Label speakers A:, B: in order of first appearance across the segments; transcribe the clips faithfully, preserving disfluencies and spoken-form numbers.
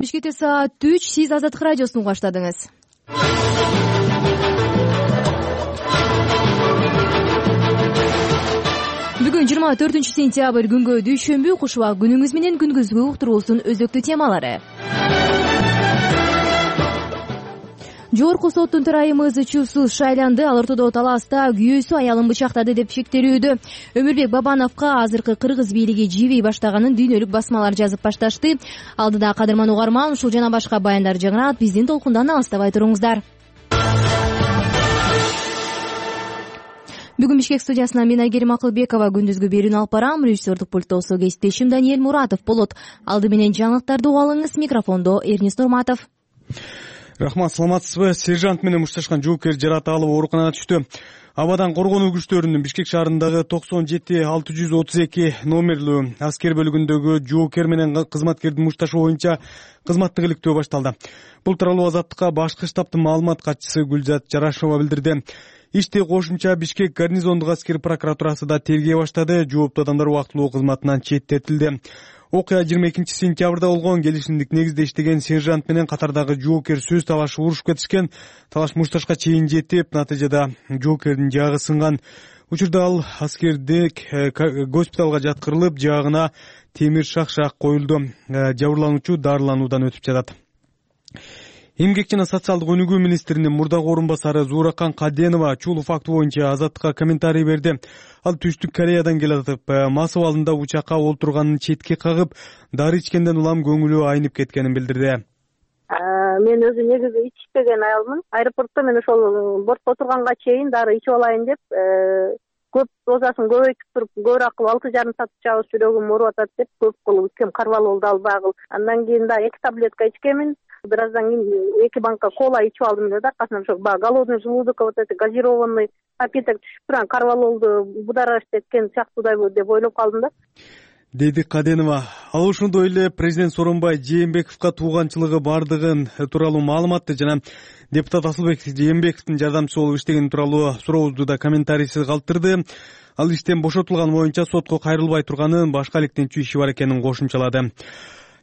A: Бишкекте саат үч, сиз Азаттык радиосун баштадыңыз. Бүгүн жыйырма төртүнчү сентябрь күнгө дүйшөмбү, куш убак күнүңүз менен күнгүзгү уктуруусунун өзөктүү темалары. Жогорку соттун төрайымы Чусуз шайланды. Ал ортодо талааста күйөөсү аялын бычактады деп шектелүүдө. Өмүрбек Бабановго азыркы кыргыз бийлиги жибей баштаганын дүйнөлүк басмалар жазып башташты. Алдыда кадырман угарман ушул жана башка баяндар жаңырат. Биздин толкундан алыстабай туруңуздар. Бүгүн Бишкек студиясынан мен Айгерим Акылбекова күндүзгү берүүнү алып барам. Режиссердик пульттосо кесиптешим Даниэль Муратов болот. Алды менен жаңылыктарды угуп алыңыз. Микрофондо Эрнис Нурматов.
B: Рахмат, саламатсызбы? Сержант менен мушташкан жоокер жараат алып ооруканага түштү. Абадан коргонуу күчтөрүнүн Бишкек шаарындагы токсон жети алты жүз отуз эки номерлүү аскер бөлүгүндөгү жоокер менен кызматкердин мушташуу боюнча кызматтык иликтөө башталды. Бул тууралуу Азаттыкка башкы штабтын маалымат катчысы Гүлзат Жарашова билдирди. Ишти кошумча Бишкек гарнизондук аскер прокуратурасы да тергей баштады. Жооптуу адамдар убактылуу кызматынан четтетилди. Окуя жыйырма экинчи сентябрда болгон. Келишимдик негизде иштеген сержант менен катардагы жоокер сөз талашып урушуп кетишкен. Талаш мушташка чейин жетип, натыйжада жоокердин жаагы сынган. Учурда ал аскердик госпиталга жаткырылып, жаагына темир шакшак коюлду. Жабырлануучу дарылануудан өтүп жатат. Эмгек жана социалдык өнүгүү министринин мурдагы орун басары Зууракан Каденова ушул факт боюнча Азаттыкка комментарий берди. Ал Түштүк Кореядан келатып, мас абалында учакка олтурганын четке кагып, дары ичкенден улам көңүлү айнып кеткенин билдирди.
C: Мен өзү негизи ичпеген аялмын. Аэропортто мен ошол бортко отурганга чейин дары ичип алайын деп, көп дозасын көбөйтүп туруп, көбүрөөк кылып алты жарым саат чабыс жүрөгүм ооруп атат деп көп кылып ичкем, карвал болду албагыл. Андан кийин да эки таблетка ичкемин. Бираздан кийин эки банка кола ичип алдым эле да, аркасынан ошо баягы голодный желудок, вот это газированный напиток түшүп турган карвалолду будараш эткен сыяктуудай деп ойлоп калдым да,
B: деди Каденова. Ал ошондой эле президент Сооронбай Жээнбековго тууганчылыгы бардыгын тууралуу маалыматты жана депутат Асылбек Жээнбековдун жардамчысы болуп иштегени тууралуу сурообузду да комментарийсиз калтырды. Ал иштен бошотулган боюнча сотко кайрылбай турганын, башка иликтенчүү иши бар экенин кошумчалады.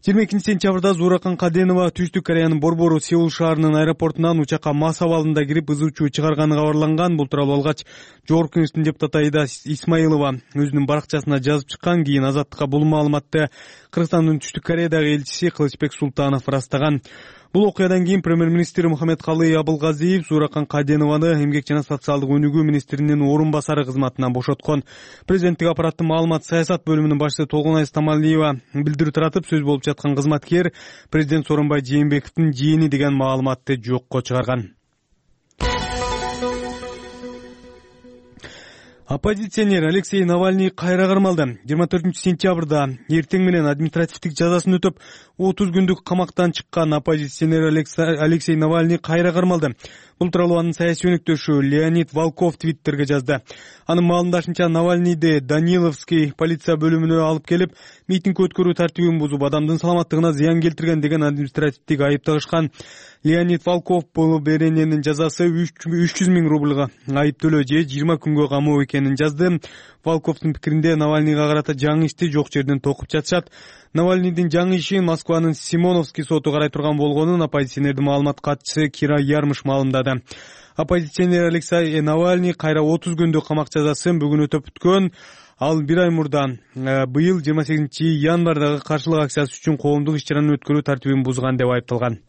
B: жыйырма экинчи сентябрда Зууракан Каденова Түштүк Кореянын борбору Сеул шаарынын аэропортунан учакка мас абалында кирип ызы чуу чыгарганы кабарланган. Бул тууралуу алгач Жогорку кеңештин депутаты Аида Исмаилова өзүнүн баракчасына жазып чыккан. Кийин Азаттыкка бул маалыматты Кыргызстандын Түштүк Кореядагы элчиси Кылычбек Султанов ырастаган. Бул окуядан кийин премьер-министр Мухаммедкалый Абылгазиев Зууракан Каденованы эмгек жана социалдык өнүгүү министринин орун басары кызматынан бошоткон. Президенттик аппараттын маалымат саясат бөлүмүнүн башчысы Толгонай Стамалиева билдирүү таратып, сөз болуп жаткан кызматкер президент Сооронбай Жээнбековдун жиени деген маалыматты жокко чыгарган. Оппозиционер Алексей Навальный кайра кармалды. жыйырма төртүнчү сентябрда эртең менен административдик жазасын өтөп, отуз күндүк камактан чыккан оппозиционер Алексей Навальный кайра кармалды. Бул тууралуу анын саясий өнөктөшү Леонид Волков твиттерге жазды. Анын маалымдашынча, Навальныйды Даниловский полиция бөлүмүнө алып келип, митинг өткөрүү тартибин бузуп, адамдын саламаттыгына зыян келтирген деген административдик айып тагышкан. Леонид Волков бул берененин жазасы үч жүз миң рублга айып төлөө же жыйырма күнгө камоо экенин жазды. Волковдун пикиринде Навальныйга карата жаңы ишти жок жерден токуп жатышат. Навальныйдын жаңы ишин Москванын Симоновский соту карай турган болгонун оппозиционердин маалымат катчысы Кира Ярмыш маалымдады. Оппозиционер Алексей Навальный кайра отуз күндүк камак жазасын бүгүн өтөп бүткөн. Ал бир ай мурда быйыл жыйырма сегизинчи январдагы каршылык акциясы үчүн коомдук иш-чараны өткөрүү тартибин бузган деп айыпталган.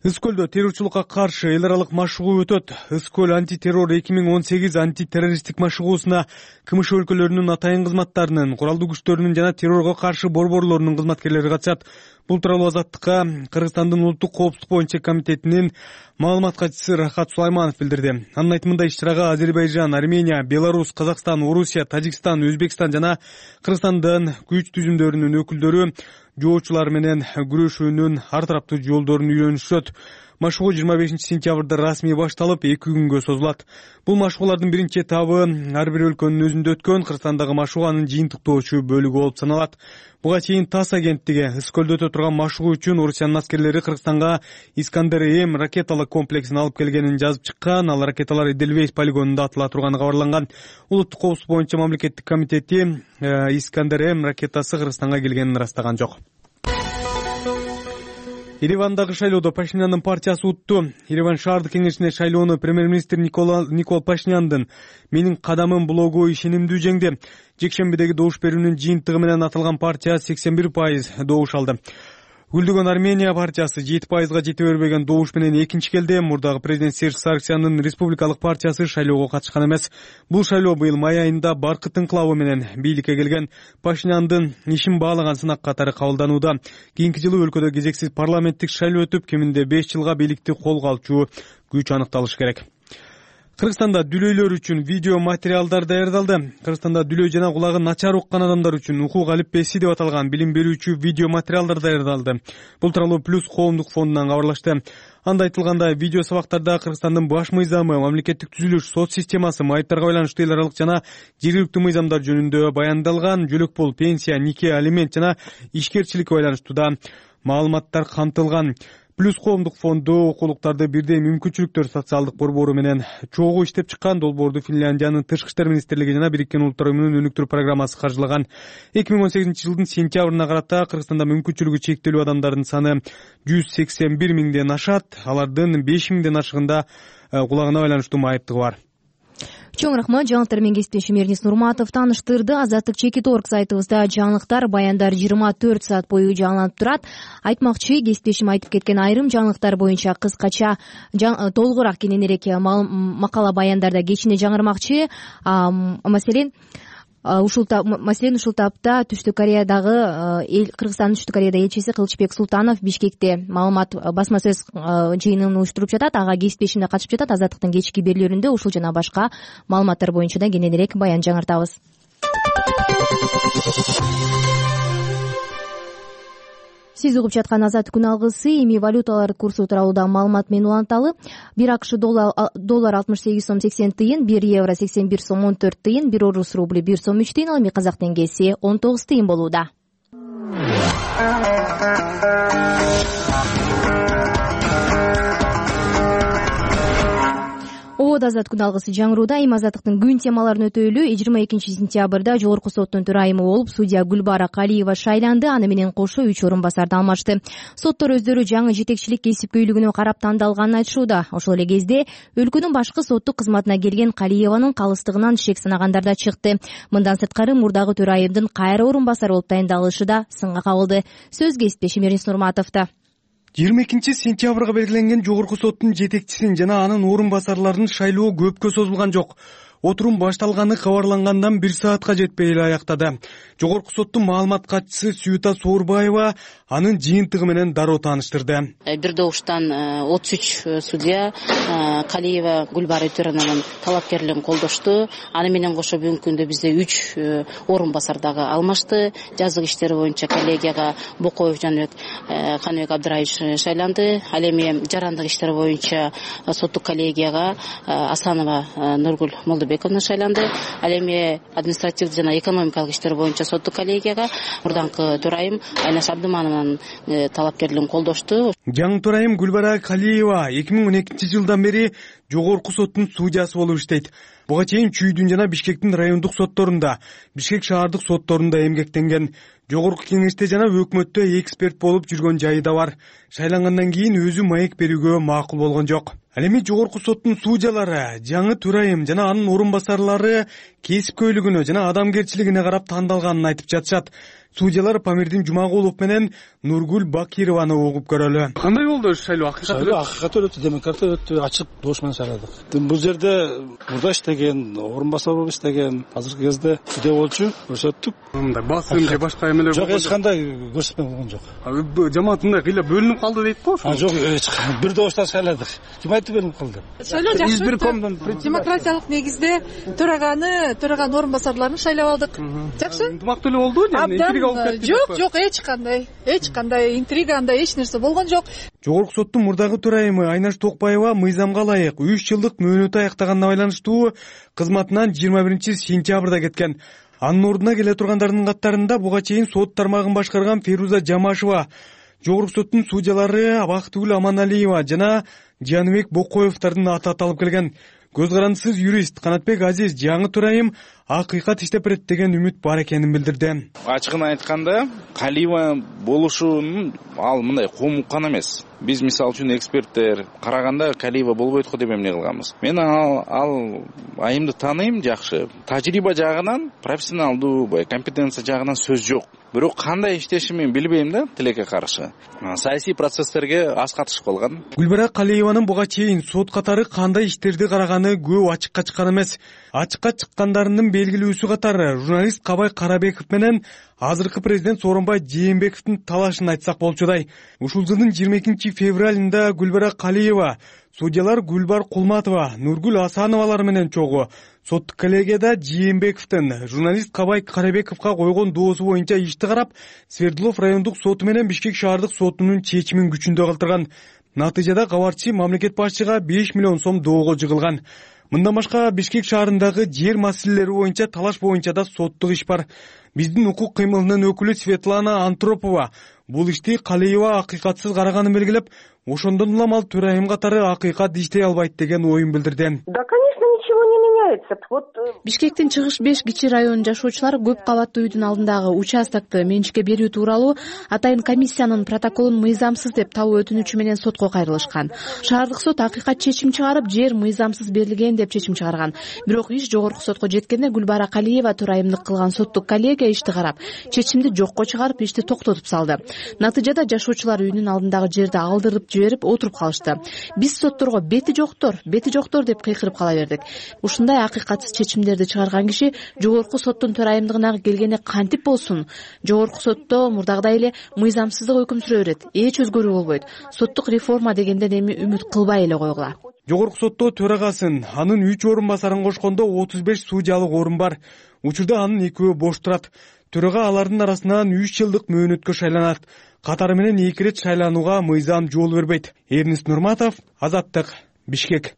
B: Ыз-Көлдө террорчулукка каршы эл аралык машыгуу өтөт. Ыз-Көл антитеррор эки миң он сегиз антитеррористтик машыгуусуна КМШ өлкөлөрүнүн атайын кызматтарынын, куралдуу күчтөрүнүн жана террорго каршы борборлорунун кызматкерлери катышат. Бул тууралуу Азаттыкка Кыргызстандын улуттук коопсуздук боюнча комитетинин маалымат катчысы Рахат Сулайманов билдирди. Анын айтымында иш-чарага Азербайжан, Армения, Беларусь, Казакстан, Орусия, Тажикстан, Өзбекстан жана Кыргызстандын күч түзүмдөрүнүн өкүлдөрү жоочулар менен күрөшүүнүн ар тараптуу жолдорун үйрөнүшөт. Машыгуу жыйырма бешинчи сентябрда расмий башталып, эки күнгө созулат. Бул машыгуулардын биринчи этабы ар бир өлкөнүн өзүндө өткөн. Кыргызстандагы машыгуанын жыйынтыктоочу бөлүгү болуп саналат. Буга чейин ТАСС агенттиги Ыз-Көлдө өтө турган машыгуу үчүн Орусиянын аскерлери Кыргызстанга Искандер-М ракеталык комплексин алып келгенин жазып чыккан. Ал ракеталар Эдельвейс полигонунда атыла турганы кабарланган. Улуттук коопсуздук боюнча мамлекеттик комитети Искандер-М ракетасы Кыргызстанга келгенин ырастаган жок. Еревандагы шайлоодо Пашиняндын партиясы утту. Ереван шаардык кеңешине шайлоону премьер-министр Никол Пашиняндын «Менин кадамым» блогу ишенимдүү жеңди. Жекшембидеги добуш берүүнүн жыйынтыгы менен аталган партия сексен бир пайыз добуш алды. Гүлдөгөн Армения партиясы жети пайызга жете бербеген добуш менен экинчи келди. Мурдагы президент Серж Сарксяндын республикалык партиясы шайлоого катышкан эмес. Бул шайлоо быйыл май айында Баркыт инкылабы менен бийликке келген Пашиняндын ишин баалаган сынак катары кабылданууда. Кийинки жылы өлкөдө кезексиз парламенттик шайлоо өтүп, кеминде беш жылга бийликти колго алчу күч аныкталышы керек. Кыргызстанда дүлөйлөр үчүн видео материалдар даярдалды. Кыргызстанда дүлөй жана кулагы начар уккан адамдар үчүн укук алиппеси деп аталган билим берүүчү видео материалдар даярдалды. Бул тууралуу Плюс коомдук фондунан кабарлашты. Анда айтылгандай, видео сабактарда Кыргызстандын баш мыйзамы, мамлекеттик түзүлүш, сот системасы, майыптарга байланыштуу эл аралык жана жергиликтүү мыйзамдар жөнүндө баяндалган жөлөк пул, пенсия, нике, алимент жана ишкерчиликке байланыштуу да маалыматтар камтылган. Плюс коомдук фонду окуулуктарды бирдей мүмкүнчүлүктөр социалдык борбору менен чогуу иштеп чыккан. Долбоорду Финляндиянын Тышкы иштер министрлиги жана Бириккен Улуттар уюмунун өнүктүрүү программасы каржылаган. эки миң он сегизинчи жылдын сентябрына карата Кыргызстанда мүмкүнчүлүгү чектелүү адамдардын саны жүз сексен бир миңден ашат. Алардын беш миңден ашыгында кулагына байланыштуу майыптыгы бар.
A: Чоң рахмат. Жаңылыктар менен кесиптешим Эрнис Нурматов тааныштырды. Азаттык чекит орг сайтыбызда жаңылыктар, баяндар жыйырма төрт саат бою жаңыланып турат. Айтмакчы, кесиптешим айтып кеткен айрым жаңылыктар боюнча кыскача толугураак кененирээк макала баяндарда кечине жаңырмакчы. Маселен, ушул маселен ушул тапта Түштүк Кореядагы эл Кыргызстандын Түштүк Кореяда элчиси Кылычбек Султанов Бишкекте маалымат басма сөз жыйынын уюштуруп жатат. Ага кесиптешимде катышып жатат. Азаттыктын кечки берүүлөрүндө ушул жана башка маалыматтар боюнча да кененирээк баян жаңыртабыз. Сиз угуп жаткан Азаттык күн алгысы. Эми валюталар курсу тууралуу да маалымат менен уланталы. бир АКШ доллар алтымыш сегиз сом сексен тыйын, бир евро сексен бир сом он төрт тыйын, бир орус рубли бир сом үч тыйын, ал эми казак теңгеси он тогуз тыйын болууда. Обод Азаттык күн алгысы жаңырууда. Эми Азаттыктын күн темаларын өтөйлү. жыйырма экинчи сентябрда жогорку соттун төрайымы болуп судья Гүлбара Калиева шайланды. Аны менен кошо үч орун басарды алмашты. Соттор өздөрү жаңы жетекчилик кесипкөйлүгүнө карап тандалганын айтышууда. Ошол эле кезде өлкөнүн башкы соттук кызматына келген Калиеванын калыстыгынан шек санагандар да чыкты. Мындан сырткары мурдагы төрайымдын кайра орун басар болуп дайындалышы да сынга кабылды. Сөз кесиптешим Эрнис Нурматовдо.
B: жыйырма экинчи сентябрга белгиленген жогорку соттун жетекчисин жана анын орун басарларынын шайлоо көпкө созулган жок. Отурум башталганы кабарлангандан бир саатка жетпей эле аяктады. Жогорку соттун маалымат катчысы Сүйүта Соорбаева анын жыйынтыгы менен дароо тааныштырды.
D: Бир добуштан отуз үч судья Калиева Гүлбара Өтөрановнун талапкерлигин колдошту. Аны менен кошо бүгүнкү күндө бизде үч орун басар дагы алмашты. Жазык иштери боюнча коллегияга Бокоев Жаныбек Каныбек Абдыраевич шайланды. Ал эми жарандык иштери боюнча соттук коллегияга Асанова Нургүл Молдобековна шайланды. Ал эми административдик жана экономикалык иштер боюнча соттук коллегияга мурданкы төрайым Айнаш Абдыманованын талапкерлигин колдошту.
B: Жаңы төрайым Гүлбара Калиева эки миң он экинчи жылдан бери жогорку соттун судьясы болуп иштейт. Буга чейин Чүйдүн жана Бишкектин райондук сотторунда, Бишкек шаардык сотторунда эмгектенген. Жогорку кеңеште жана өкмөттө эксперт болуп жүргөн жайы да бар. Шайлангандан кийин өзү маек берүүгө макул болгон жок. Ал эми жогорку соттун судьялары, жаңы төрайым жана анын орун басарлары кесипкөйлүгүнө жана адамгерчилигине карап тандалганын айтып жатышат. Судьялар Памирдин Жумагулов менен Нургүл Бакированы угуп көрөлү. Кандай болду шайлоо?
E: Акыйкаты акыйкаты өтү, демократия өтү, ачык добуш менен шайладык. Бул жерде мурда иштеген, орун басар болуп иштеген, азыркы кезде судья болчу көрсөттүк.
B: Мындай басым же башка эмелер
E: жок, эч кандай көрсөтмө болгон жок.
B: Жамаат мындай кыйла бөлүнүп калды дейт го.
E: Жок, бир добуштан шайладык. Ким айтты бөлүнүп калды?
F: Шайлоо жакшы. Демократиялык негизде төраганы, төраган орун басарларын шайлап алдык. Жакшы.
B: Ынтымактуу эле болду,
F: Жок, жок, эч кандай, эч кандай интрига, андай эч нерсе болгон жок.
B: Жогорку соттун мурдагы төрайымы Айнаш Токпаева мыйзамга ылайык үч жылдык мөөнөтү аяктаганына байланыштуу кызматынан жыйырма биринчи сентябрда кеткен. Анын ордуна келе тургандардын катарында буга чейин сот тармагын башкарган Феруза Жамашева, жогорку соттун судьялары Бактыгүл Аманалиева жана Жаныбек Бокоевдордун аты аталып келген. Көз карандысыз юрист Канатбек Азиз жаңы төрайым акыйкат иштеп берет деген үмүт бар экенин билдирди.
G: Ачыгын айтканда, Калиева болушунун ал мындай коомуккан эмес. Биз мисалы үчүн эксперттер караганда Калиева болбойт го деп эмне кылганбыз. Мен ал, ал айымды тааныйм жакшы. Тажрыйба жагынан, профессионалдуу, компетенция жагынан сөз жок. Бирок кандай иштешин мен билбейм да, тилекке каршы. Саясий процесстерге аз катышып калган.
B: Гүлбара Калиеванын буга чейин сот катары кандай иштерди караганы көп ачыкка чыккан эмес. Ачыкка чыккандарынын белгилүүсү катары журналист Кабай Карабеков менен азыркы президент Сооронбай Жээнбековдун талашын айтсак болчудай. Ушул жылдын жыйырма экинчи февралында Гүлбара Калиева судьялар Гүлбар Кулматова, Нургүл Асановалар менен чогуу соттук коллегияда Жээнбековдун журналист Кабай Карабековго койгон доосу боюнча ишти карап, Свердлов райондук соту менен Бишкек шаардык сотунун чечимин күчүндө калтырган. Натыйжада кабарчы мамлекет башчыга беш миллион сом доого жыгылган. Мындан башка Бишкек шаарындагы жер маселелери боюнча талаш боюнча да соттук иш бар. Биздин укук кыймылынын өкүлү Светлана Антропова бул ишти Калиева акыйкатсыз караганын белгилеп, ошондон улам ал төрайым катары акыйкат иштей албайт деген оюн билдирди.
C: Да, конечно, ничего не меняется. Вот
H: Бишкектин чыгыш беш кичи районунун жашоочулары көп кабаттуу үйдүн алдындагы участокты менчикке берүү тууралуу атайын комиссиянын протоколун мыйзамсыз деп табуу өтүнүчү менен сотко кайрылышкан. Шаардык сот акыйкат чечим чыгарып, жер мыйзамсыз берилген деп чечим чыгарган. Бирок иш жогорку сотко жеткенде Гүлбара Калиева төрайымдык кылган соттук коллегия ишти карап, чечимди жокко чыгарып, ишти токтотуп салды. Натыйжада жашоочулар үйүнүн алдындагы жерди алдырып жиберип отуруп калышты. Биз сотторго бети жоктор, бети жоктор деп кыйкырып кала бердик. Ушундай акыйкатсыз чечимдерди чыгарган киши жогорку соттун төрайымдыгына келгенде кантип болсун? Жогорку сотто мурдагыдай эле мыйзамсыздык өкүм сүрө берет. Эч өзгөрүү болбойт. Соттук реформа дегенден эми үмүт кылбай эле койгула.
B: Жогорку сотто төрагасын, анын үч орун басарын кошкондо отуз беш судьялык орун бар. Учурда анын экөө бош турат. Төрага алардын арасынан үч жылдык мөөнөткө шайланат. Катары менен эки ирет шайланууга мыйзам жол бербейт. Эрнис Нурматов, Азаттык, Бишкек.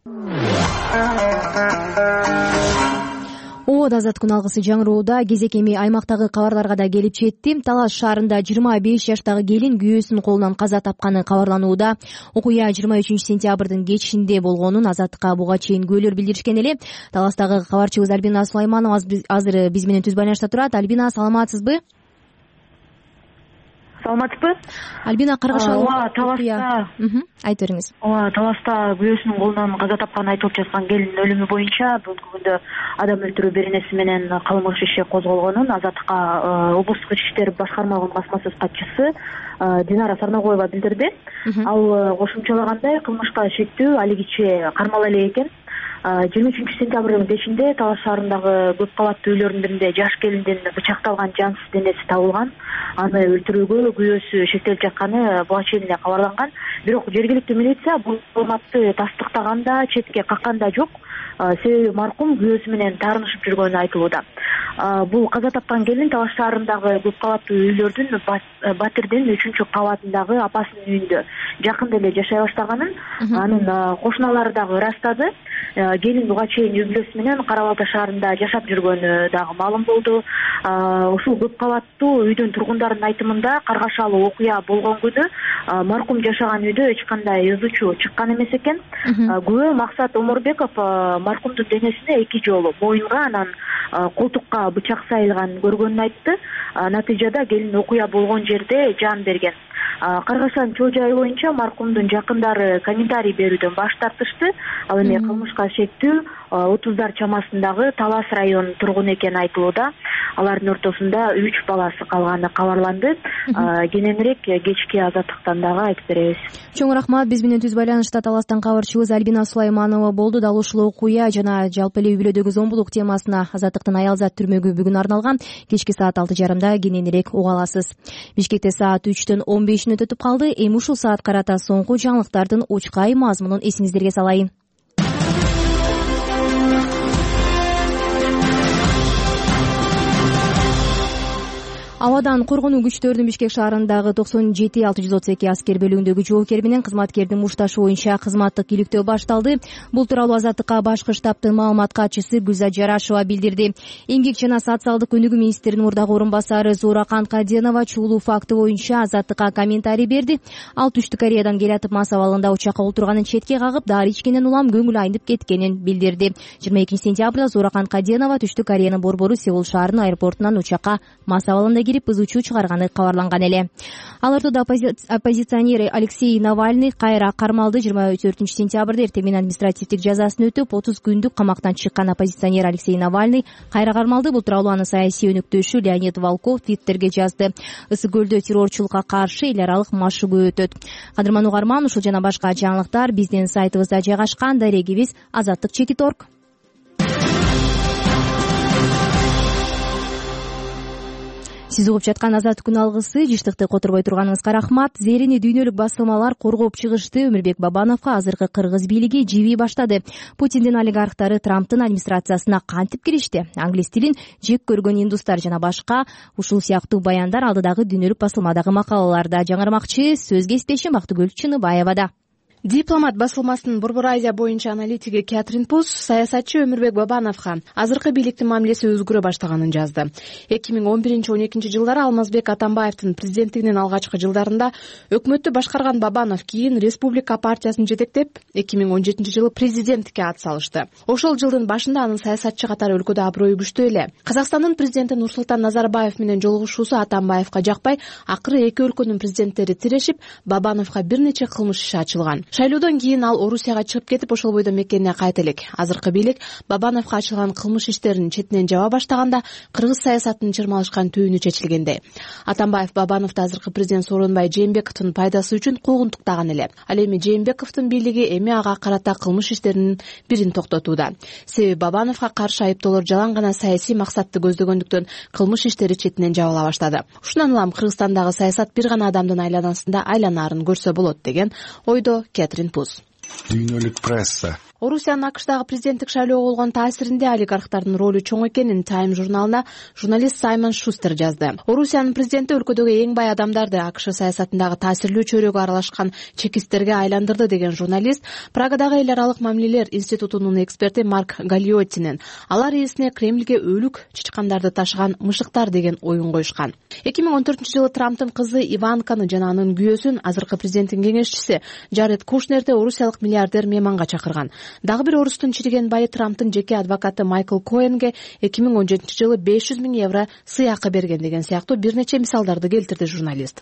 A: Оод Азаттыктын алгысы жаңыроодо кезек эми аймактагы кабарларга да келип жетти. Талас шаарында жыйырма беш жаштагы келин күйөөсүнүн колунан каза тапканы кабарланууда. Окуя жыйырма үчүнчү сентябрдын кечинде болгонун Азаттыкка буга чейин күбөлөр билдиришкен эле. Таластагы кабарчыбыз Альбина Сулайманова азыр биз менен түз байланышта турат. Альбина, саламатсызбы?
I: Саламатсызбы?
A: Альбина, Каргашалы
I: ооба, Таласта.
A: Айтып бериңиз.
I: Ооба, Таласта күйөөсүнүн колунан каза тапканы айтылып жаткан келиндин өлүмү боюнча бүгүнкү күндө адам өлтүрүү беренеси менен кылмыш иши козголгонун Азаттыкка облустук ички иштер башкармалыгынын басмасөз катчысы Динара Сарнагоева билдирди. Ал кошумчалагандай, кылмышка шектүү алигиче кармала элек экен. жыйырма үчүнчү сентябрдын бешинде Талас шаарындагы көп кабаттуу үйлөрдүн биринде жаш келиндин бычакталган жансыз денеси табылган. Аны өлтүрүүгө күйөөсү шектелип жатканы буга чейин эле кабарланган. Бирок жергиликтүү милиция бул маалыматты тастыктаганда, четке какканда жок. Себеби маркум күйөөсү менен таарынышып жүргөнү айтылууда. Бул каза тапкан келин Талас шаарындагы көп кабаттуу үйлөрдүн Батирдин үчүнчү кабатындагы апасынын үйүндө жакында эле жашай баштаганын анын кошуналары дагы ырастады. Келин буга чейин үй бүлөсү менен Кара Балта шаарында жашап жүргөнү дагы маалым болду. Ушул көп кабаттуу үйдүн тургундарынын айтымында каргашалуу окуя болгон күнү маркум жашаган үйдө эч кандай ызычуу чыккан эмес экен. Күбө Максат Оморбеков маркумдун денесине эки жолу моюнга анан колтукка бычак сайылганын көргөнүн айтты. Натыйжада келин окуя болгон жерде жан берген. Каргашанын чоо жайы боюнча маркумдун жакындары комментарий берүүдөн баш тартышты. Ал эми кылмышка шектүү отуздар чамасындагы Талас районунун тургуну экени айтылууда. Алардын ортосунда үч баласы калганы кабарланды. Кененирээк кечки Азаттыктан дагы айтып беребиз.
A: Чоң рахмат. Биз менен түз байланышта Таластан кабарчыбыз Альбина Сулайманова болду. Дал ушул окуя жана жалпы эле үй бүлөдөгү зомбулук темасына Азаттыктын аялзат түрмөгү бүгүн арналган. Кечки саат алты жарымда кененирээк уга аласыз. Бишкекте саат үчтөн он бешин өтүп калды. Эми ушул саат карата соңку жаңылыктардын учкай мазмунун эсиңиздерге салайын. Абадан коргонуу күчтөрүнүн Бишкек шаарындагы токсон жети алты жүз отуз эки аскер бөлүгүндөгү жоокер менен кызматкердин мушташы боюнча кызматтык иликтөө башталды. Бул тууралуу Азаттыкка башкы штабтын маалымат катчысы Гүлзат Жарашева билдирди. Эмгек жана социалдык өнүгүү министринин мурдагы орун басары Зууракан Каденова чуулуу факты боюнча Азаттыкка комментарий берди. Ал Түштүк Кореядан келатып мас абалында учакка отурганын четке кагып, дары ичкенен улам көңүлү айнып кеткенин билдирди. жыйырма экинчи сентябрда Зууракан Каденова Түштүк Кореянын борбору Сеул шаарынын аэропортунан учакка мас абалында кирип ыз учуу чыгарганы кабарланган эле. Ал ортодо оппозиционер Алексей Навальный кайра кармалды. жыйырма төртүнчү сентябрда эртең менен административдик жазасын өтүп, отуз күндүк камактан чыккан оппозиционер Алексей Навальный кайра кармалды. Бул тууралуу анын саясий өнүктөөчү Леонид Волков Твиттерге жазды. Ысык көлдө террорчулукка каршы эл аралык машыгуу өтөт. Кадырман угарман, ушул жана башка жаңылыктар биздин сайтыбызда жайгашкан. Дарегибиз азаттык чекит точка орг. Сиз угуп жаткан Азаттык күн алгысы. Жыштыкты которбой турганыңызга рахмат. Зерени дүйнөлүк басылмалар коргоп чыгышты. Өмүрбек Бабановго азыркы кыргыз бийлиги жибий баштады. Путиндин олигархтары Трамптын администрациясына кантип киришти? Англис тилин жек көргөн индустар жана башка ушул сыяктуу баяндар алдыдагы дүйнөлүк басылмадагы макалаларда жаңырмакчы. Сөз кесиптешим Актыгүл Чыныбаевада.
H: Дипломат басылмасынын Борбор Азия боюнча аналитиги Кэтрин Пус саясатчы Өмүрбек Бабановго азыркы бийликтин мамилеси өзгөрө баштаганын жазды. эки миң он биринчи он экинчи жылдары Алмазбек Атамбаевдин президенттигинин алгачкы жылдарында өкмөттү башкарган Бабанов кийин Республика партиясын жетектеп, эки миң он жетинчи жылы президенттикке ат салышты. Ошол жылдын башында анын саясатчы катары өлкөдө аброю күчтүү эле. Казакстандын президенти Нурсултан Назарбаев менен жолугушуусу Атамбаевга жакпай, акыры эки өлкөнүн президенттери тирешип, Бабановго бир нече кылмыш иши ачылган. Шайлоодон кийин ал Орусияга чыгып кетип, ошол бойдо мекенине кайта элек. Азыркы бийлик Бабановго ачылган кылмыш иштерин четинен жаба баштаганда кыргыз саясатынын чырмалышкан түйүнү чечилгендей. Атамбаев Бабановду азыркы президент Сооронбай Жээнбековдун пайдасы үчүн куугунтуктаган эле. Ал эми Жээнбековдун бийлиги эми ага карата кылмыш иштеринин бирин токтотууда. Себеби Бабановго каршы айыптоолор жалаң гана саясий максатты көздөгөндүктөн кылмыш иштери четинен жабыла баштады. Ушундан улам Кыргызстандагы саясат бир гана адамдын айланасында айланаарын көрсө болот деген ойдо Кэтрин Пус.
J: Дүйнөлүк пресса
H: Орусиянын АКШдагы президенттик шайлоого болгон таасиринде олигархтардын ролу чоң экенин Time журналына журналист Саймон Шустер жазды. Орусиянын президенти өлкөдөгү эң бай адамдарды АКШ саясатындагы таасирлүү чөйрөгө аралашкан чекисттерге айландырды деген журналист Прагадагы эл аралык мамилелер институтунун эксперти Марк Галиоттинен алар ээсине Кремльге өлүк чычкандарды ташыган мышыктар деген оюн коюшкан. эки миң он төртүнчү жылы Трамптын кызы Иванканы жана анын күйөөсүн азыркы президенттин кеңешчиси Джаред Кушнерди орусиялык миллиардер мейманга чакырган. Дагы бир орустун чириген байы Трамптын жеке адвокаты Майкл Коэнге эки миң он жетинчи жылы беш жүз миң евро сыйакы берген деген сыяктуу бир нече мисалдарды келтирди журналист.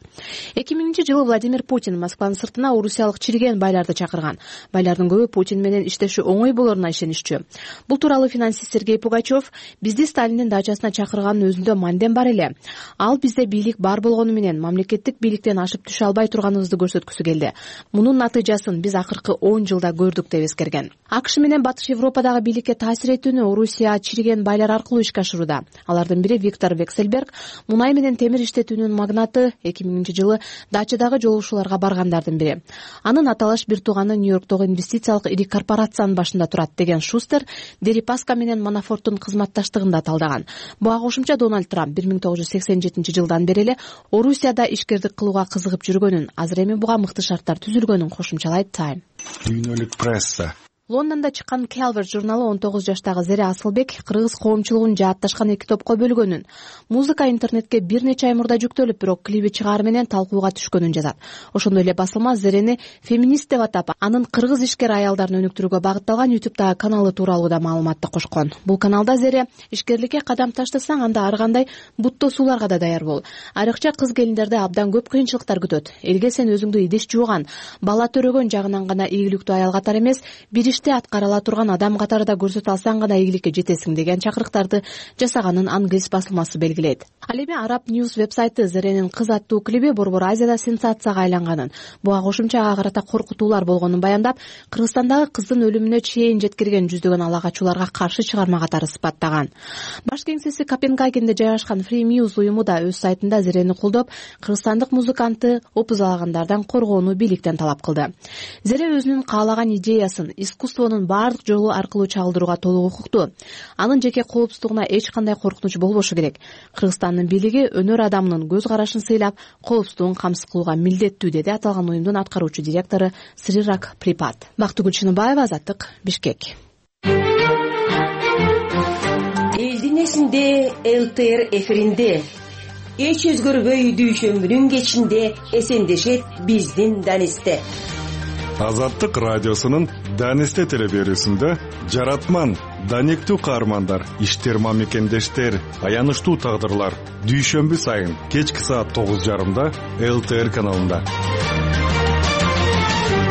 H: эки миңинчи жылы Владимир Путин Москванын сыртына орусиялык чириген байларды чакырган. Байлардын көбү Путин менен иштеши оңой болоруна ишенишчү. Бул тууралуу финансист Сергей Пугачев бизди Сталиндин дачасына чакырганын өзүндө мандем бар эле. Ал бизде бийлик бар болгону менен мамлекеттик бийликтен ашып түшө албай турганыбызды көрсөткүсү келди. Мунун натыйжасын биз акыркы он жылда көрдүк деп эскерген. АКШ менен Батыш Европадагы бийликке таасир этүүнү Орусия чириген байлар аркылуу ишке ашырууда. Алардын бири Виктор Векселберг, мунай менен темир иштетүүнүн магнаты, эки миңинчи жылы дачадагы жолугушууларга баргандардын бири. Анын аталаш бир тууганы Нью-Йорктогу инвестициялык ири корпорациянын башында турат деген Шустер Дерипаска менен Манафорттун кызматташтыгын да талдаган. Буга кошумча Дональд Трамп бир миң тогуз жүз сексен жетинчи жылдан бери эле Орусияда ишкердик кылууга кызыгып жүргөнүн, азыр эми буга мыкты шарттар түзүлгөнүн кошумчалайт Time.
J: Дүйнөлүк пресса
H: Лондондо чыккан Calvert журналы он тогуз жаштагы Зере Асылбек кыргыз коомчулугун жаатташкан эки топко бөлгөнүн, музыка интернетке бир нече ай мурда жүктөлүп, бирок клиби чыгаар менен талкууга түшкөнүн жазат. Ошондой эле басылма Зерени феминист деп атап, анын кыргыз ишкер аялдарын өнүктүрүүгө багытталган YouTube'дагы каналы тууралуу да маалыматты кошкон. Бул каналда Зере ишкерликке кадам таштасаң, анда ар кандай буттосууларга да даяр бол. Айрыкча кыз келиндерди абдан көп кыйынчылыктар күтөт. Элге сен өзүңдү идиш жууган, бала төрөгөн жагынан гана ийгиликтүү аял катары эмес, бир аткарыла турган адам катары да көрсөтө алсаң гана ийгиликке жетесиң деген чакырыктарды жасаганын англис басылмасы белгилейт. Ал эми Arab News вебсайты Зеренин кыз аттуу клиби Борбор Азияда сенсацияга айланганын, буга кошумча ага карата коркутуулар болгонун баяндап, Кыргызстандагы кыздын өлүмүнө чейин жеткирген жүздөгөн алагачууларга каршы чыгарма катары сыпаттаган. Баш кеңсеси Копенгагенде жайгашкан Free News уюму да өз сайтында Зерени колдоп, кыргызстандык музыкантты опузалагандардан коргоону бийликтен талап кылды. Зере өзүнүн каалаган идеясын искусствонун баардык жолу аркылуу чагылдырууга толук укуктуу. Анын жеке коопсуздугуна эч кандай коркунуч болбошу керек. Кыргызстандын бийлиги өнөр адамынын көз карашын сыйлап, коопсуздугун камсыз кылууга милдеттүү, деди аталган уюмдун аткаруучу директору Срирак Припат. Бактыгүл Чыныбаева, Азаттык, Бишкек.
K: Элдин эсинде ЛТР эфиринде эч өзгөрбөй дүйшөмбүнүн кечинде эсендешет биздин Данисте.
J: Азаттык радиосунун Данисте телеберүүсүндө жаратман, даниктүү каармандар, иштер мамекендештер, аянычтуу тагдырлар дүйшөмбү сайын кечки саат тогуз жарымда ЛТР каналында.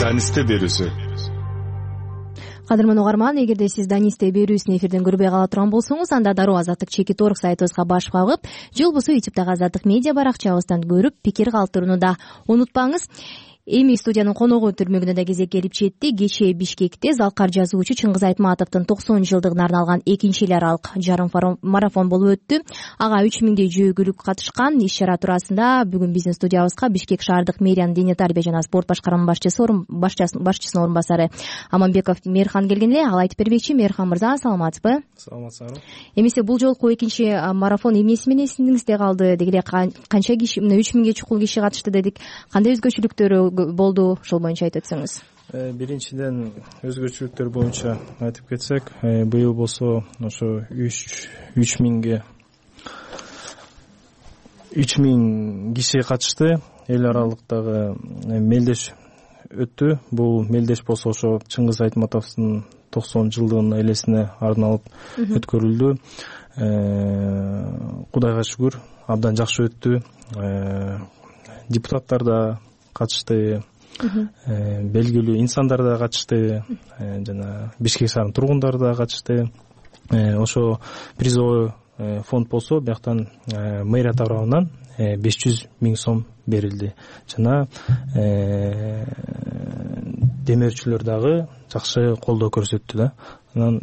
J: Данисте берүүсү.
A: Кадырман угарман, эгерде сиз Данисте берүүсүн эфирден көрбөй кала турган болсоңуз, анда дароо Азаттык чекит орг сайтыбызга баш багып, же болбосо ютубтагы Азаттык медиа баракчабыздан көрүп, пикир калтырууну да унутпаңыз. Эми студиянын коногу түрмөгүнө да кезек келип жетти. Кечээ Бишкекте залкар жазуучу Чыңгыз Айтматовдун токсон жылдыгына арналган экинчи эл аралык жарым марафон болуп өттү. Ага үч миңдей жөөкөлүк катышкан. Иш чара туурасында бүгүн биздин студиябызга Бишкек шаардык мэриянын дене тарбия жана спорт башкарма башчысы башчысынын орун басары Аманбеков Мээрхан келген эле. Ал айтып бермекчи. Мээрхан мырза, саламатсызбы?
L: Саламатсызбы.
A: Эмесе бул жолку экинчи марафон эмнеси менен эсиңизде калды? Деги эле канча киши, мына үч миңге чукул киши катышты дедик. Кандай өзгөчөлүктөрү болду, ошол боюнча айтып өтсөңүз.
L: Биринчиден өзгөчөлүктөр боюнча айтып кетсек, быйыл болсо ошо үч миңге үч миң киши катышты. Эл аралыктагы мелдеш өттү. Бул мелдеш болсо ошо Чыңгыз Айтматовдун токсон жылдыгынын элесине арналып өткөрүлдү. Кудайга шүгүр, абдан жакшы өттү. Депутаттар да катышты, белгилүү инсандар да катышты, жана Бишкек шаарынын тургундары да катышты. Ошо призовой фонд болсо, бияктан мэрия тарабынан беш жүз миң сом берилди. Жана демөөрчүлөр дагы жакшы колдоо көрсөттү да. Анан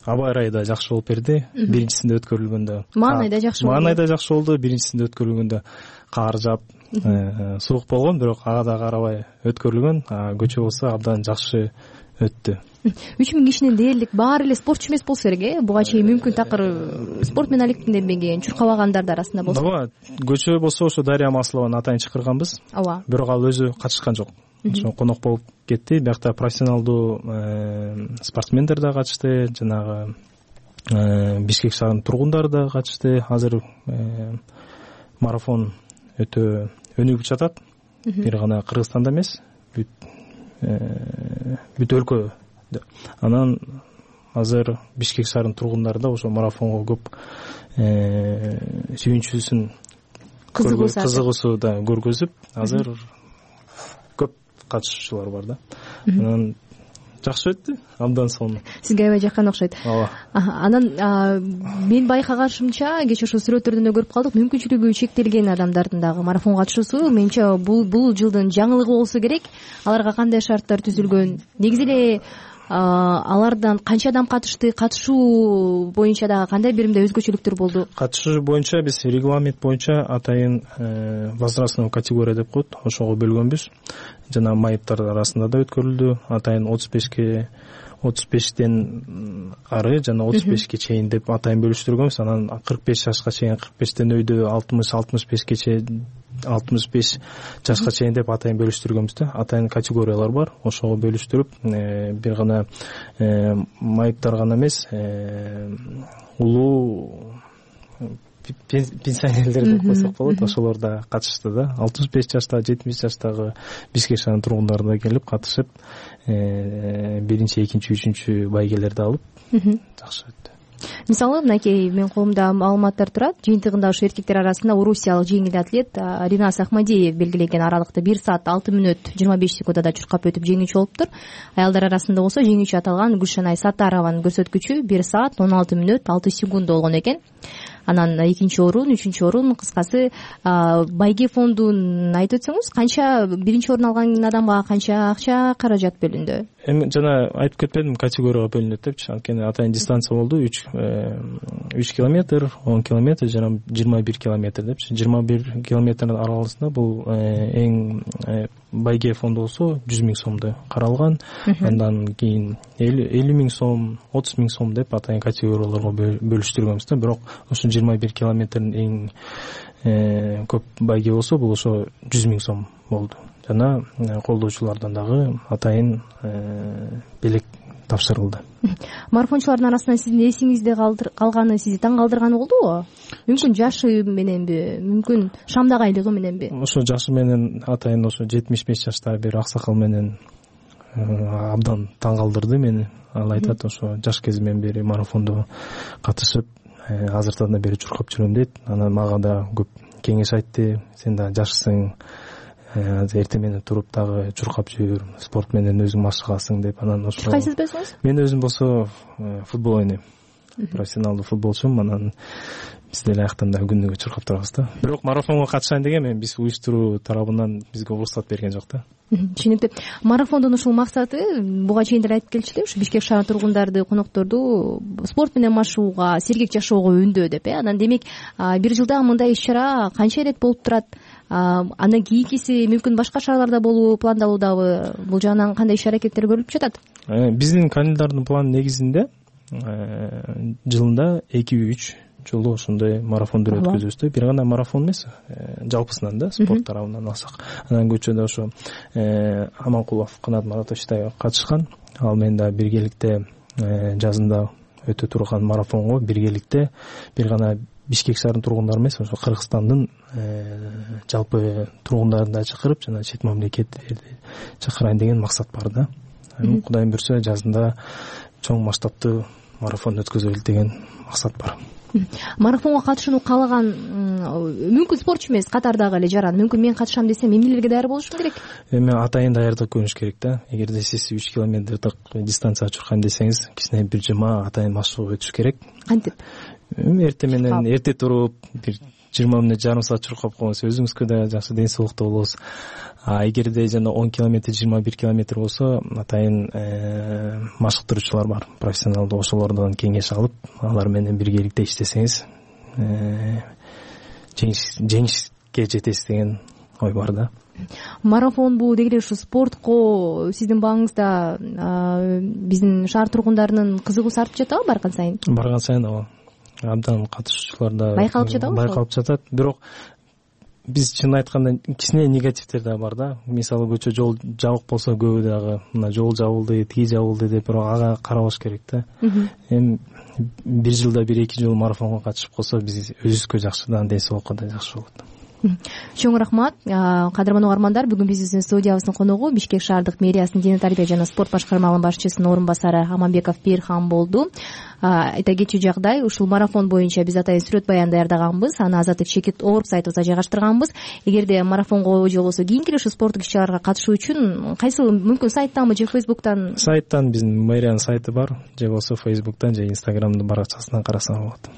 L: аба ырайы да жакшы болуп берди. Биринчисинде өткөрүлгөндө
A: маанай да жакшы болду.
L: Маанай да жакшы болду. Биринчисинде өткөрүлгөндө каар жаап, суук болгон, бирок ага да карабай өткөрүлгөн. Көчө болсо абдан жакшы өттү.
A: үч миң кишинин дээрлик баары эле спортчу эмес болсо керек, э? Буга чейин мүмкүн такыр спорт менен алектенбеген, чуркабагандар да арасында болсо.
L: Ооба, көчө болсо ошо Дарья Маслованы атайын чакырганбыз.
A: Ооба.
L: Бирок ал өзү катышкан жок. Ошо конок болуп кетти. Биякта профессионалдуу спортсмендер да катышты, жанагы Бишкек шаарынын тургундары да катышты. Азыр марафон өтө өнүгүп жатат. Бир гана Кыргызстанда эмес, бүт өлкө. Анан азыр Бишкек шаарынын тургундары да ошо марафонго көп сүйүнчүсүн, кызыгуусу да көргөзүп, азыр көп катышуучулар бар да. Анан жакшы өттү, абдан сонун.
A: Сизге аябай жаккан окшойт.
L: Ооба.
A: Анан мен байкагашымча, кечээ ошо сүрөттөрдөн да көрүп калдык, мүмкүнчүлүгү чектелген адамдардын дагы марафон катышуусу. Менимче бул бул жылдын жаңылыгы болсо керек. Аларга кандай шарттар түзүлгөн? Негизи эле алардан канча адам катышты, катышуу боюнча дагы кандай биримде өзгөчөлүктөр болду?
L: Катышуу боюнча биз регламент боюнча атайын возрастной категория деп коет, ошого бөлгөнбүз. Жана майыптар арасында да өткөрүлдү. Атайын отуз бешке отуз бештен ары жана отуз бешке чейин деп атайын бөлүштүргөнбүз. Анан кырк беш жашка чейин, кырк бештен өйдө алтымыш алтымыш бешке чейин, алтымыш беш жашка чейин деп атайын бөлүштүргөнбүз да. Атайын категориялар бар. Ошого бөлүштүрүп, бир гана майыптар гана эмес, улуу пенсионерлер деп койсок болот, ошолор да катышты да. алтымыш беш жашта, жетимиш жаштагы Бишкек шаарынын тургундары да келип катышып, биринчи, экинчи, үчүнчү байгелерди алып, жакшы өттү.
A: Мисалы, мынакей менин колумда маалыматтар турат. Жыйынтыгында ушу эркектер арасында орусиялык жеңил атлет Ринас Ахмадиев белгилеген аралыкта бир саат алты мүнөт жыйырма беш секундада чуркап өтүп жеңүүчү болуптур. Аялдар арасында болсо жеңүүчү аталган Гүлшанай Саттарованын көрсөткүчү бир саат он алты мүнөт алты секунд болгон экен. Анан экинчи орун, үчүнчү орун, кыскасы байге фондун айтып өтсөңүз, канча биринчи орун алган адамга канча акча каражат бөлүндү?
L: Эми жана айтып кетпедим, категорияга бөлүнөт депчи. Анткени атайын дистанция болду. үч километр, он километр жана жыйырма бир километр депчи. жыйырма бир километрдин аралыгында бул эң байге фонду болсо жүз миң сомдой каралган. Андан кийин элүү миң сом, отуз миң сом деп атайын категорияларга бөлүштүргөнбүз да. Бирок ошо жыйырма бир километрдин эң көп байге болсо бул ошо жүз миң сом болду. Жана колдоочулардан дагы атайын белек тапшырылды.
A: Марафончулардын арасынан сиздин эсиңизде калганы, сизди таң калтырганы болдубу? Мүмкүн жашы мененби, мүмкүн шамдак айлыгы мененби?
L: Ошо жашы менен атайын ошо жетимиш беш жаштагы бир аксакал менен абдан таң калтырды мени. Ал айтат, ошо жаш кезимден бери марафондо катышып, азыртан да бери чуркап жүрөм дейт. Анан мага да көп кеңеш айтты. Сен да жашсың, эртең менен туруп дагы чуркап жүр, спорт менен өзүң машыгасың деп. Анан ошо
A: кайсы спортсуңуз?
L: Мен өзүм болсо футбол ойнойм. Профессионалдуу футболчумун. Анан биз деле аяктан да күнүгө чуркап турабыз да. Бирок марафонго катышайын деген мен биз уюштуруу тарабынан бизге уруксат берген жок да.
A: Түшүнүктүү. Марафондун ушул максаты, буга чейин деле айтып келчү эле, ушу Бишкек шаарынын тургундарды, конокторду спорт менен машыгууга, сергек жашоого үндөө деп. Анан демек бир жылда мындай иш-чара канча ирет болуп турат? Андан кийинкиси мүмкүн башка шаарларда болуу пландалуудабы? Бул жагынан кандай иш-аракеттер көрүлүп жатат?
L: Биздин календардын планы негизинде жылында эки үч жолу ошондой марафондор өткөзөбүз да. Бир гана марафон эмес, жалпысынан да спорт тарабынан алсак. Анан көчөдө ошо Аманкулов Канат Маратович да катышкан. Ал менен да биргеликте жазында өтө турган марафонго биргеликте бир гана Бишкек шаарынын тургундары эмес, ошо Кыргызстандын жалпы тургундарын да чакырып, жана чет мамлекеттерди чакырайын деген максат бар да. Кудайым буйрса жазында чоң масштабтуу марафон өткөзөлү деген максат бар.
A: Марафонго катышууну каалаган мүмкүн спортчу эмес, катардагы эле жаран, мүмкүн мен катышам десем эмнелерге даяр болушум керек?
L: Эми атайын даярдык көрүнүш керек да. Эгерде сиз үч километрдик дистанция чуркайм десеңиз, кичине бир жыма атайын машыгып өтүш керек.
A: Кантип?
L: Эртең менен эрте туруп, бир жыйырма мүнөт, жарым саат чуркап койсоңуз, өзүңүзгө да жакшы ден соолукта болосуз. А эгерде жана он километр, жыйырма бир километр болсо, атайын машыктыруучулар бар, профессионалдуу, ошолордон кеңеш алып, алар менен биргеликте иштесеңиз, жеңишке жетесиз деген ой бар да.
A: Марафон бул деги эле ушу спортко сиздин бааңызда биздин шаар тургундарынын кызыгуусу артып жатабы барган сайын?
L: Барган сайын ооба. Абдан катышуучулар да
A: байкалып жатабы?
L: Байкалып жатат. Бирок биз чын айтканда кичине негативдер да бар да. Мисалы көчө жол жабык болсо, көбү дагы мына жол жабылды, тиги жабылды деп, бирок ага карабаш керек да. Эми бир жылда бир эки жолу марафонго катышып калса, биз өзүбүзгө жакшы да, ден соолукка да жакшы болот.
A: Чоң рахмат. Кадырман угармандар, бүгүн биздин студиябыздын коногу Бишкек шаардык мэриясынын дене тарбия жана спорт башкармалыгынын башчысынын орун басары Аманбеков Бирхан болду. Айта кетчү жагдай, ушул марафон боюнча биз атайын сүрөт баян даярдаганбыз, аны Азаттык Чекит орг сайтыбызга жайгаштырганбыз. Эгерде марафонго же болбосо кийинки ушу спорттук иш-чараларга катышуу үчүн кайсы, мүмкүн сайттанбы же Фейсбуктан?
L: Сайттан, биздин мэриянын сайты бар, же болбосо Фейсбуктан же Инстаграмдын баракчасынан карасаңар болот.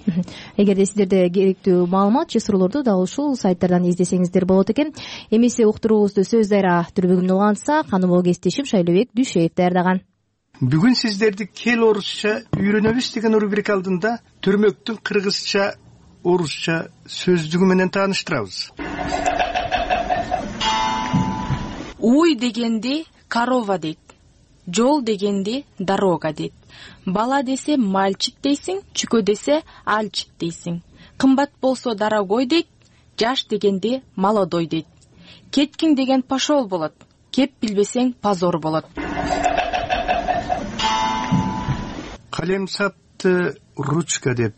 A: Эгерде сиздерде керектүү маалымат же суроолорду дал ушул сайттардан издесеңиздер болот экен. Эмесе уктуруубузду сөз дайра түрбөгүнөн улгансак, аны могу кесиптешим Шайлообек Дүйшеев даярдаган.
M: Бүгүн сиздерди кел орусча үйрөнөбүз деген рубрика алдында төрмөктүн кыргызча, орусча сөздүгү менен тааныштырабыз.
N: Уй дегенди корова дейт. Жол дегенди дорога дейт. Бала десе мальчик дейсиң, чүкө десе альчик дейсиң. Кымбат болсо дорогой дейт, жаш дегенди молодой дейт. Кеткиң деген пошол болот, кеп билбесең позор болот.
M: Калем сапты ручка деп,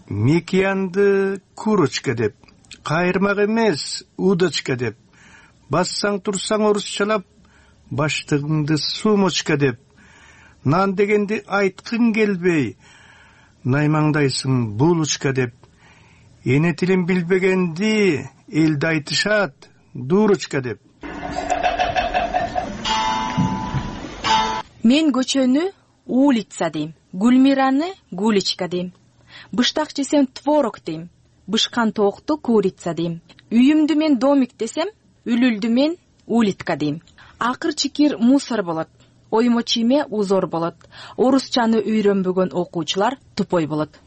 M: мекиянды курочка деп, кайырмак эмес удочка деп, бассаң турсаң орусчалап, баштыгыңды сумочка деп, нан дегенди айткың келбей, наймаңдайсың булочка деп, эне тилин билбегенди элде айтышат дурочка деп.
N: Мен көчөнү улица дейм, Гүлмираны гуличка дейм. Быштак жесем творог дейм, бышкан тоокту курица дейм. Үйүмдү мен домик десем, үлүлдү мен улитка дейм. Акыр чикир мусор болот, оймо чийме узор болот. Орусчаны үйрөнбөгөн окуучулар тупой болот.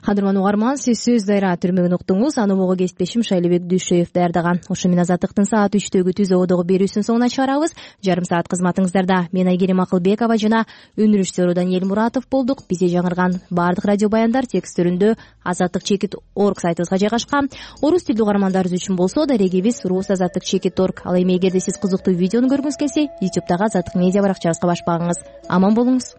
A: кадырман угарман, сиз сөз дайра түрмөгүн уктуңуз. Аны бого кесиптешим Шайлебек Дүйшөев даярдаган. Ошо менен Азаттыктын саат үчтөгү түз ободогу берүүсүнүн соңуна чыгарабыз. Жарым саат кызматыңыздарда мен Айгерим Акылбекова жана өнөр режиссеру Даниэль Муратов болдук. Бизде жаңырган баардык радио баяндар тексттеринде азаттык чекит орг сайтыбызга жайгашкан. Орус тилдүү угармандарыбыз үчүн болсо дарегибиз рус азаттык чекит орг. Ал эми эгерде сиз кызыктуу видеону көргүңүз келсе, ютубтагы Азаттык медиа баракчабызга баш багыңыз. Аман болуңуз.